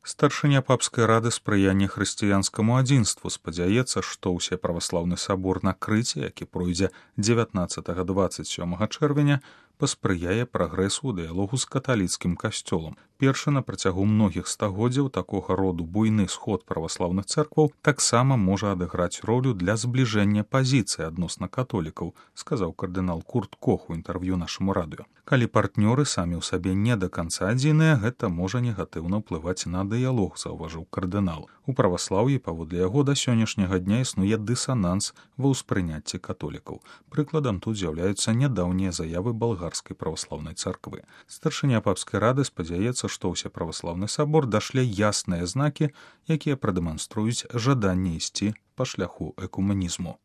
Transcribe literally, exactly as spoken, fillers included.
Старшыня папскай рады спрыяння хрысціянскаму адзінству спадзяецца, што ўсе праваслаўны сабор на Крыце, які пройдзе дзевятнаццатага дваццаць сёмага чэрвеня, паспрыяе прагрэсу ў дыялогу з каталіцкім касцёлам. Першы на працягу многіх стагоддзяў такога роду буйны сход праваслаўных цэркваў таксама можа адыграць ролю для збліжэння пазіцый адносна католікаў, сказаў кардынал Курт Кох у інтэрв'ю нашаму радыё. Калі партнёры самі ў сабе не да канца адзіныя, гэта можа негатыўна ўплываць на дыялог, заўважыў кардынал. У праваслаўі, паводле яго, да сённяшняга дня існуе дысананс ва ўспрыняцці католікаў. Прыкладам тут з'яўляюцца нядаўнія заявы балгарскай праваслаўнай царквы. Старшыня папскай рады спадзяецца, што ўсе праваслаўны сабор дашле ясныя знакі, якія прадэманструюць жаданне ісці па шляху экумэнізму.